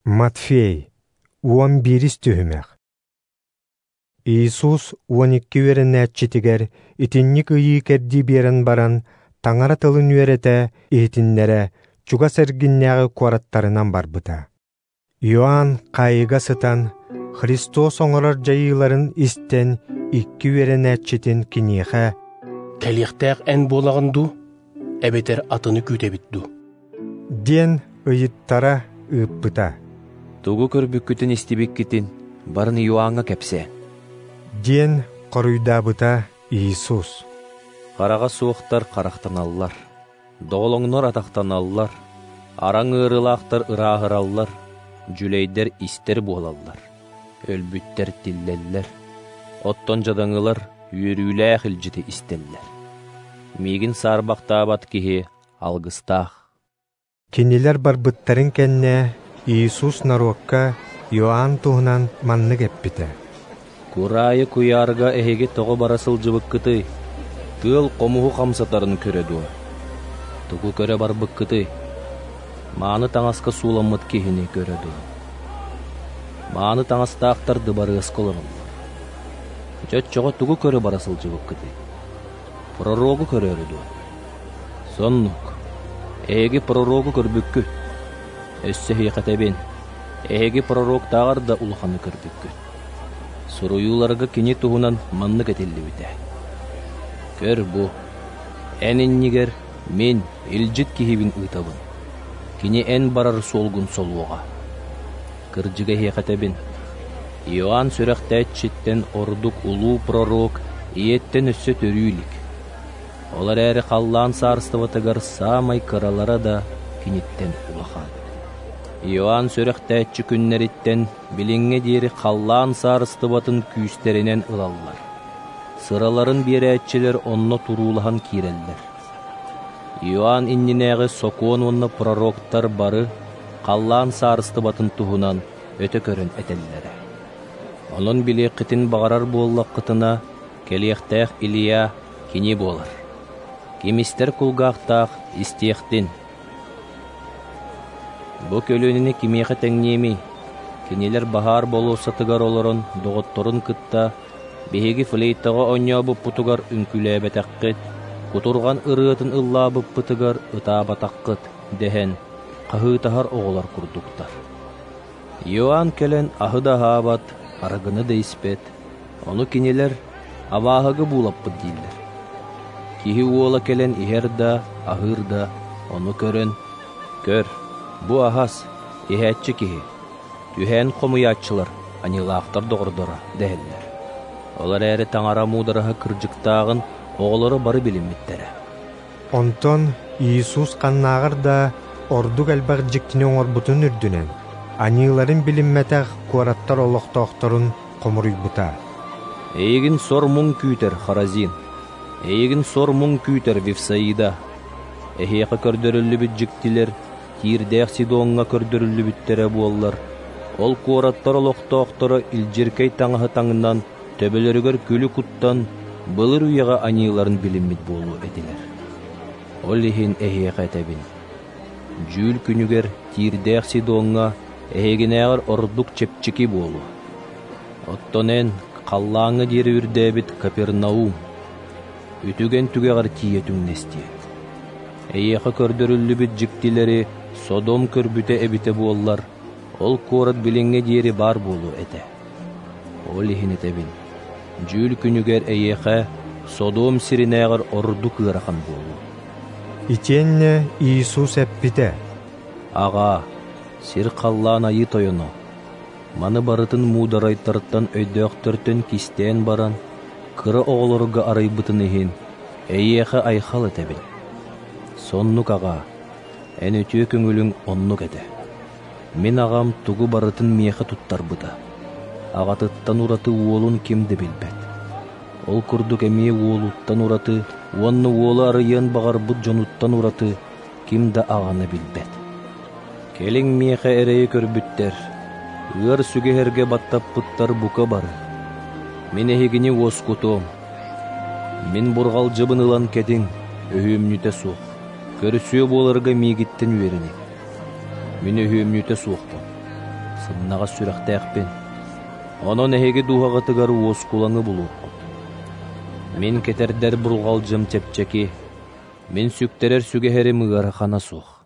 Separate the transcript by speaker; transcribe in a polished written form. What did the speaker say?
Speaker 1: Матфей, 11 түһүмэх. Иисус 12 үөрэнээччитигэр итинник ыйыы-кэрдии биэрэн баран, Таҥара тылын үөрэтэ, иһитиннэрэ чугас эргиннээҕи куораттарынан барбыта. Иоанн хаайыыга сытан, Христос оҥорор дьайыыларын истэн, икки үөрэнээччитин киниэхэ
Speaker 2: «Кэлиэхтээх эн буолаҕын дуу, эбэтэр атыны күүтэбит дуу?»
Speaker 1: диэн ыйыттара ыыппыта.
Speaker 3: Тугу көрбүккүтүн истибиккитин барын Иоанҥа кэпсээ,
Speaker 1: диэн хоруйдаабыта Иисус.
Speaker 3: Хараҕа суохтар харахтаналлар, доҕолоҥнор атахтаналлар, араҥ ыарыылаахтар ырааһыраллар, дьүлэйдэр истэр буолаллар, өлбүттэр тиллэллэр, оттон дьадаҥылар үөрүүлээх илдьити истэллэр. Миигин саарбахтаабат киһи алгыстаах.
Speaker 1: Кинилэр барбыттарын кэннэ Иисус норуокка Иоанн туһунан маннык эппитэ.
Speaker 3: Кураайы куйаарга эһиги тоҕо бара сылдьыбыккытый? Тыал хомуһу хамсатарын көрө дуо? Тугу көрө барбыккытый? Мааны таҥаска сууламмыт киһини көрө дуо? Мааны таҥастаахтар дыбарыаска олороллор. Дьэ оччоҕо тугу көрө бара сылдьыбыккытый? Пророгу көрөөрү дуо? Соннук. Эһиги пророгу көрбүккүт. Өссө эһиэхэ этэбин, эһиги пророктааҕар да улаханы көрбүккүт. Суруйууларга кини туһунан маннык этиллибитэ. Көр бу, эн иннигэр мин илдьит киһибин ыытабын. Кини эн барар суолгун солуоҕа. Кырдьыга эһиэхэ этэбин, Иоанн сүрэхтээччиттэн ордук улуу пророк ийэттэн өссө төрүү илик. Ол эрээри халлаан саарыстыбатыгар саамай кыралара да киниттэн улахан. Иоанн сүрэхтээччи күннэриттэн билиҥҥэ диэри халлаан саарыстыбатын күүстэринэн ылаллар. Сыраларын биэрээччилэр онно туруулаһан киирэллэр. Иоанн иннинээҕи сокуон уонна пророктар бары халлаан саарыстыбатын туһунан өтө көрөн этэллэрэ. Онон билиэххитин баҕарар буоллаххытына, кэлиэхтээх Илья кини буолар. Ким истэр кулгаахтаах истиэхтин. Бу көлүөнэни кимиэхэ тэҥниэмий? Кинилэр баһаар болуоссатыгар олорон доҕотторун кытта биһиги флейтаҕа оонньообуппутугар үҥкүүлээбэтэххит, кутурҕан ырыатын ыллаабыппытыгар ытаабатаххыт дэһэн хаһыытаһар оҕолор курдуктар. Иоанн кэлэн аһы да аһаабат, арыгыны да испэт, ону кинилэр абааһыга буулаппыт дииллэр. Киһи уола кэлэн иһэр да, аһыыр да, ону көрөн, көр, бу аһас, иһээччи киһи, түһээн хомуйааччылар, аньыылаахтар доҕордоро дэһэллэр. Ол эрээри Таҥара муудараһа кырдьыктааҕын оҕолоро бары билиммиттэрэ.
Speaker 1: Онтон Иисус ханнааҕар да ордук элбэх дьиктини оҥорбутун үрдүнэн, аньыыларын билиммэтэх куораттар олохтоохторун хомуруйбута.
Speaker 3: Эйигин сор-муҥ күүтэр, Хоразин! Эйигин сор-муҥ күүтэр, Вифсаида! Эһиэхэ көрдөрүллүбүт дьиктилэр Тиирдээх Сидоҥҥа көрдөрүллүбүттэрэ буоллар, ол куораттар олохтоохторо илдьиркэй таҥаһы таҥнан, төбөлөрүгэр күлү куттан, былыр үйэҕэ аньыыларын билиммит буолуо этилэр. Ол иһин эһиэхэ этэбин, дьүүл күнүгэр Тиирдээх Сидоҥҥа эһигинээҕэр ордук чэпчэки буолуо. Оттон эн халлааҥҥа диэри үрдээбит Капернаум, үтүгэн түгэҕэр тиийэ түҥнэстиэ. Эйиэхэ көрдөрүллүбүт дьиктилэри Содом көрбүтэ эбитэ буоллар, ол куорат билиҥҥэ диэри баар буолуо этэ. Ол иһин этэбин, дьүүл күнүгэр эйиэхэ Содом сиринээҕэр ордук ыарахан буолуо.
Speaker 1: Итиэннэ Иисус эппитэ:
Speaker 3: Аҕаа, сир-халлаан айыы тойоно, маны барытын муударайтартан өйдөөхтөртөн кистээн баран, кыра оҕолорго арыйбытын иһин, эйиэхэ айхал этэбин. Соннук аҕаа, эн үтүө көҥүлүҥ оннук этэ. Мин аҕам тугу барытын миэхэ туттарбыта. Аҕатыттан ураты уолун ким да билбэт. Ол курдук эмиэ уолуттан ураты уонна уолу арыйыан баҕарбыт дьонуттан ураты ким да аҕаны билбэт. Кэлиҥ миэхэ эрэйи көрбүттэр, ыар сүгэһэргэ баттаппыттар бука бары. Мин эһигини уоскутуом. Мин бурҕалдьыбын ылан кэтиҥ, өһүөмньүтэ суох. Көрсүө буоларга миигиттэн үөрэниҥ. Мин өһүөмньүтэ суохпун. сымнаҕас сүрэхтээхпин. Онон эһиги дууһаҕытыгар уоскулаҥы булуоххут. Мин кэтэрдэр бурҕалдьым чэпчэки, Мин сүктэрэр сүгэһэрим ыарахана суох.